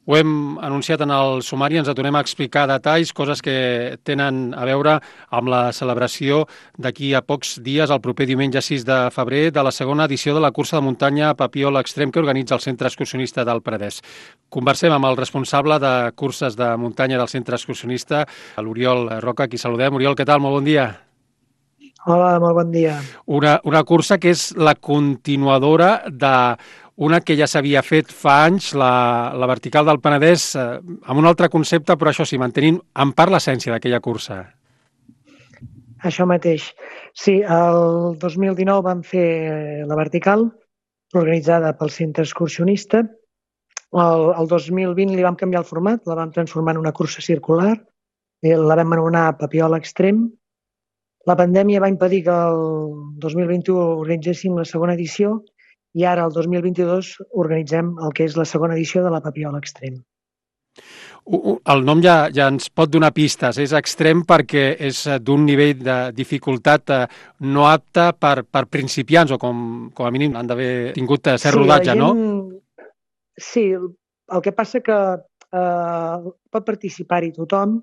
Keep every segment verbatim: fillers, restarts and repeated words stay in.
Ho hem anunciat en el sumari, ens atonem a explicar detalls, coses que tenen a veure amb la celebració d'aquí a pocs dies, el proper diumenge sis de febrer, de la segona edició de la cursa de muntanya Papiol Extrem que organitza el Centre Excursionista del Penedès. Conversem amb el responsable de curses de muntanya del Centre Excursionista, l'Oriol Roca, qui saludem. Oriol, què tal? Molt bon dia. Hola, molt bon dia. Una, una cursa que és la continuadora de una que ja s'havia fet fa anys, la, la vertical del Penedès, eh, amb un altre concepte, però això sí, mantenint en part l'essència d'aquella cursa. Això mateix. Sí, el dos mil dinou vam fer la vertical, organitzada pel Centre Excursionista. El, el dos mil vint li vam canviar el format, la vam transformar en una cursa circular, i la vam anomenar Papiol Extrem. La pandèmia va impedir que el dos mil vint-u organitzéssim la segona edició i ara, el dos mil vint-i-dos, organitzem el que és la segona edició de la Papiol Extrem. El nom ja, ja ens pot donar pistes. És extrem perquè és d'un nivell de dificultat no apte per, per principiants o com, com a mínim han d'haver tingut cert Sí, rodatge, gent... no? Sí, el que passa que eh, pot participar-hi tothom,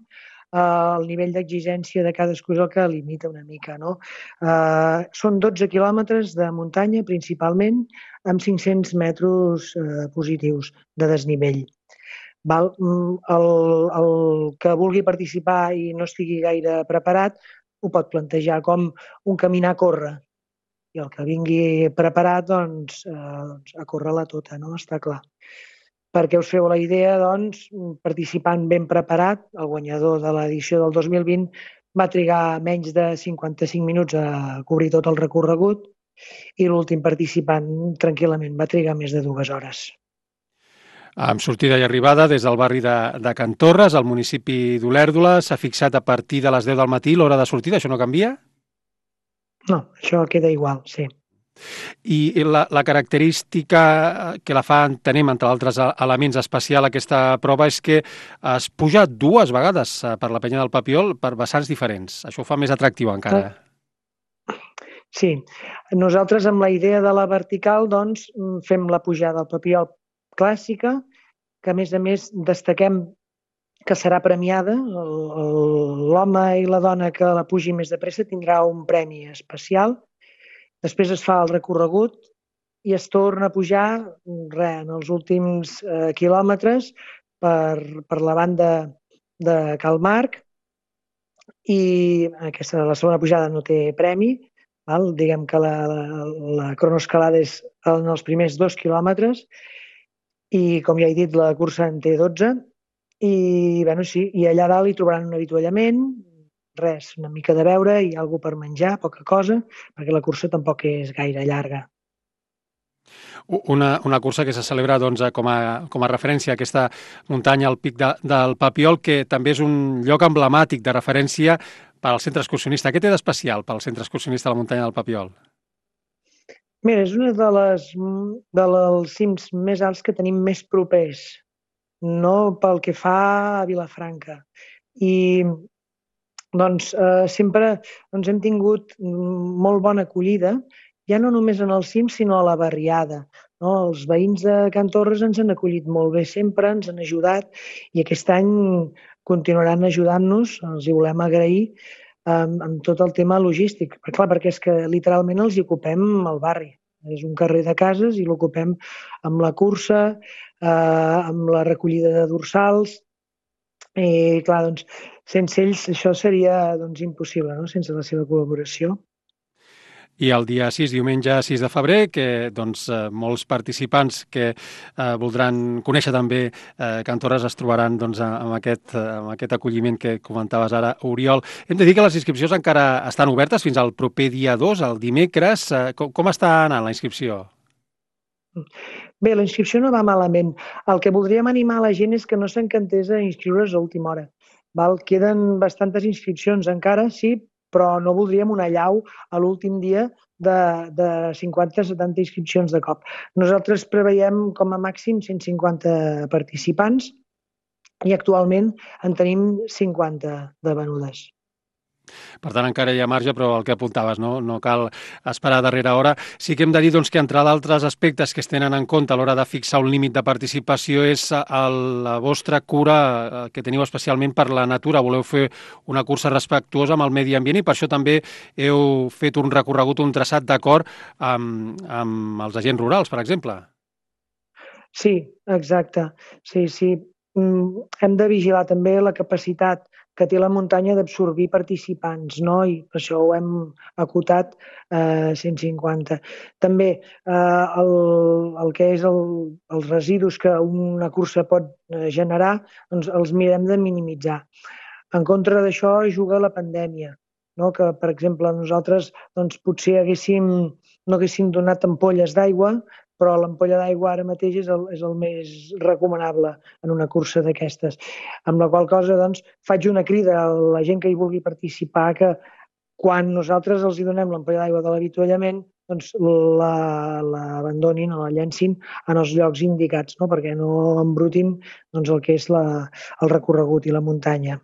eh, el nivell d'exigència de cadascú és el que limita una mica, no? Eh, són dotze quilòmetres de muntanya, principalment, amb cinc-cents metres eh, positius de desnivell. Val? El, el que vulgui participar i no estigui gaire preparat ho pot plantejar com un caminar-córrer, i el que vingui preparat, doncs, eh, a córrer-la tota, no? Està clar. Perquè us feu la idea, doncs, participant ben preparat, el guanyador de l'edició del dos mil vint va trigar menys de cinquanta-cinc minuts a cobrir tot el recorregut i l'últim participant tranquil·lament va trigar més de dues hores. Amb sortida i arribada des del barri de, de Can Torres, al municipi d'Olèrdola, s'ha fixat a partir de les deu del matí l'hora de sortida, això no canvia? No, això queda igual, sí. I la, la característica que la fa, entenem, entre altres elements especial aquesta prova, és que es puja dues vegades per la penya del Papiol per vessants diferents. Això ho fa més atractiu encara. Sí, nosaltres amb la idea de la vertical, doncs, fem la pujada al Papiol clàssica, que a més a més destaquem que serà premiada. L'home i la dona que la pugi més de pressa tindrà un premi especial. Després es fa el recorregut i es torna a pujar re, en els últims eh, quilòmetres per, per la banda de Cal Marc, i aquesta, la segona pujada no té premi, val? Diguem que la, la, la cronoescalada és en els primers dos quilòmetres i, com ja he dit, la cursa en té dotze i, bueno, sí, i allà dalt hi trobaran un avituallament, res, una mica de beure i alguna per menjar, poca cosa, perquè la cursa tampoc és gaire llarga. Una, una cursa que se celebra doncs, com, a, com a referència a aquesta muntanya, al pic de, del Papiol, que també és un lloc emblemàtic de referència per al centre excursionista. Què té d'especial pel centre excursionista de la muntanya del Papiol? Mira, és una de les dels cims més alts que tenim més propers, no pel que fa a Vilafranca. I doncs eh, sempre doncs, hem tingut molt bona acollida, ja no només en el cim, sinó a la barriada. No? Els veïns de Can Torres ens han acollit molt bé sempre, ens han ajudat i aquest any continuaran ajudant-nos, els hi volem agrair amb, amb tot el tema logístic. Però, clar, perquè és que literalment els hi ocupem el barri. És un carrer de cases i l'ocupem amb la cursa, eh, amb la recollida de dorsals. I, clar, doncs, sense ells això seria doncs, impossible, no? Sense la seva col·laboració. I el dia sis, diumenge sis de febrer, que doncs, eh, molts participants que eh, voldran conèixer també eh, Can Torres es trobaran doncs, amb, aquest, amb aquest acolliment que comentaves ara, Oriol. Hem de dir que les inscripcions encara estan obertes fins al proper dia dos, el dimecres. Eh, com, com està anant la inscripció? Bé, la inscripció no va malament. El que voldríem animar a la gent és que no s'encantés a inscriure's a última hora. Val? Queden bastantes inscripcions encara, sí, però no voldríem una allau a l'últim dia de, de cinquanta a setanta inscripcions de cop. Nosaltres preveiem com a màxim cent cinquanta participants i actualment en tenim cinquanta de venudes. Per tant, encara hi ha marge, però el que apuntaves, no, no cal esperar a darrera hora. Sí que hem de dir doncs, que entre d'altres aspectes que es tenen en compte a l'hora de fixar un límit de participació és el, la vostra cura que teniu especialment per la natura. Voleu fer una cursa respectuosa amb el medi ambient i per això també heu fet un recorregut, un traçat d'acord amb, amb els agents rurals, per exemple. Sí, exacte. Sí, sí. Hem de vigilar també la capacitat que té la muntanya d'absorbir participants, no? I per això ho hem acotat a eh, cent cinquanta. També eh, el, el que és el, els residus que una cursa pot generar, doncs els mirem de minimitzar. En contra d'això juga la pandèmia, no? Que, per exemple, nosaltres doncs, potser haguéssim, no haguéssim donat ampolles d'aigua, però l'ampolla d'aigua ara mateix és el, és el més recomanable en una cursa d'aquestes. Amb la qual cosa, doncs, faig una crida a la gent que hi vulgui participar que quan nosaltres els hi donem l'ampolla d'aigua de l'avituallament, doncs l'abandonin la, o la llencin en els llocs indicats, no? Perquè no embrutin doncs, el que és la, el recorregut i la muntanya.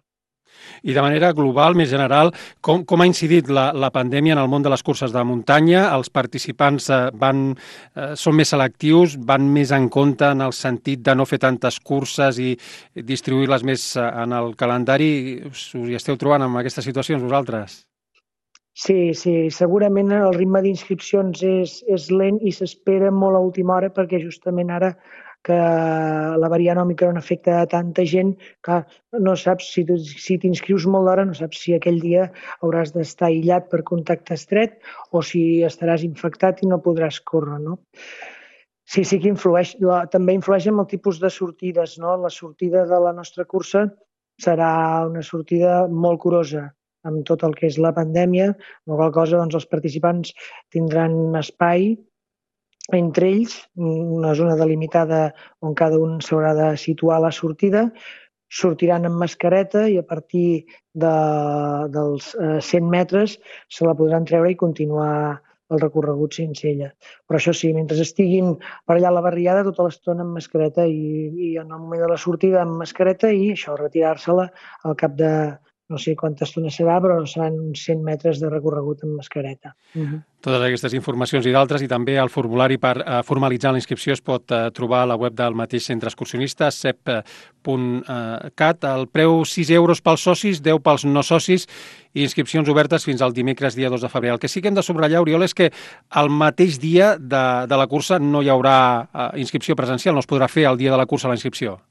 I de manera global, més general, com, com ha incidit la, la pandèmia en el món de les curses de muntanya? Els participants eh, van, eh, són més selectius, van més en compte en el sentit de no fer tantes curses i distribuir-les més en el calendari. Us hi esteu trobant en aquestes situacions vosaltres? Sí, sí, segurament el ritme d'inscripcions és, és lent i s'espera molt a última hora perquè justament ara que la variant Òmicron afecta a tanta gent que no saps si, si t'inscrius molt d'hora, no saps si aquell dia hauràs d'estar aïllat per contacte estret o si estaràs infectat i no podràs córrer, no? Sí, sí que influeix. La, també influeix en el tipus de sortides, no? La sortida de la nostra cursa serà una sortida molt curosa amb tot el que és la pandèmia, amb la qual cosa doncs, els participants tindran espai entre ells, una zona delimitada on cada un s'haurà de situar a la sortida, sortiran amb mascareta i a partir de, dels cent metres se la podran treure i continuar el recorregut sense ella. Però això sí, mentre estiguin per allà a la barriada, tota l'estona amb mascareta i, i en el moment de la sortida amb mascareta i això, retirar-se-la al cap de no sé quanta estona serà, però seran uns cent metres de recorregut amb mascareta. Uh-huh. Totes aquestes informacions i d'altres i també el formulari per eh, formalitzar la inscripció es pot eh, trobar a la web del mateix centre excursionista, sep punt cat. El preu sis euros pels socis, deu pels no socis i inscripcions obertes fins al dimecres dia dos de febrer. El que sí que hem de subratllar, Oriol, és que el mateix dia de, de la cursa no hi haurà eh, inscripció presencial, no es podrà fer el dia de la cursa la inscripció.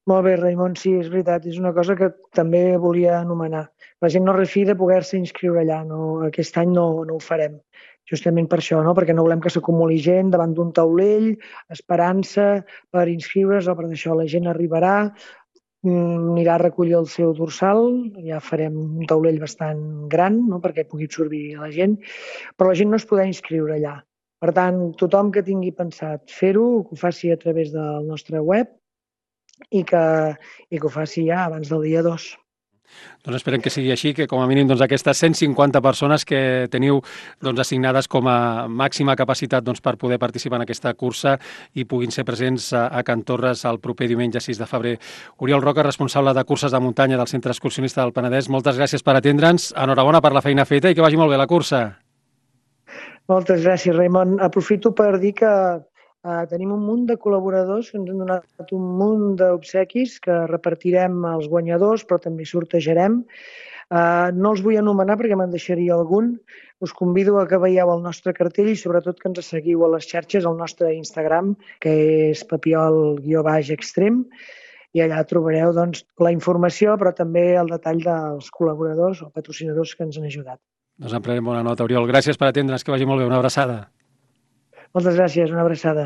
Molt bé, Raimon, sí, és veritat, és una cosa que també volia anomenar. La gent no refi de poder-se inscriure allà, no, aquest any no, no ho farem, justament per això, no? Perquè no volem que s'acumuli gent davant d'un taulell, esperant-se per inscriure's o per això la gent arribarà, anirà a recollir el seu dorsal, ja farem un taulell bastant gran, no? Perquè pugui absorbir la gent, però la gent no es podrà inscriure allà. Per tant, tothom que tingui pensat fer-ho, que ho faci a través del nostre web, i que, i que ho faci ja abans del dia dos. Doncs esperem que sigui així, que com a mínim doncs, aquestes cent cinquanta persones que teniu doncs, assignades com a màxima capacitat doncs, per poder participar en aquesta cursa i puguin ser presents a, a Can Torres el proper diumenge sis de febrer. Oriol Roca, responsable de curses de muntanya del Centre Excursionista del Penedès, moltes gràcies per atendre'ns, enhorabona per la feina feta i que vagi molt bé la cursa. Moltes gràcies, Raimon. Aprofito per dir que Uh, tenim un munt de col·laboradors que ens han donat un munt d'obsequis que repartirem als guanyadors, però també sortejarem. Uh, no els vull anomenar perquè me'n deixaria algun. Us convido a que veieu el nostre cartell i sobretot que ens seguiu a les xarxes, al nostre Instagram, que és papiol guió baix extrem, i allà trobareu doncs, la informació, però també el detall dels col·laboradors o patrocinadors que ens han ajudat. Doncs en prenem bona nota, Oriol. Gràcies per atendre'ns, que vagi molt bé. Una abraçada. Moltes gràcies, una abraçada.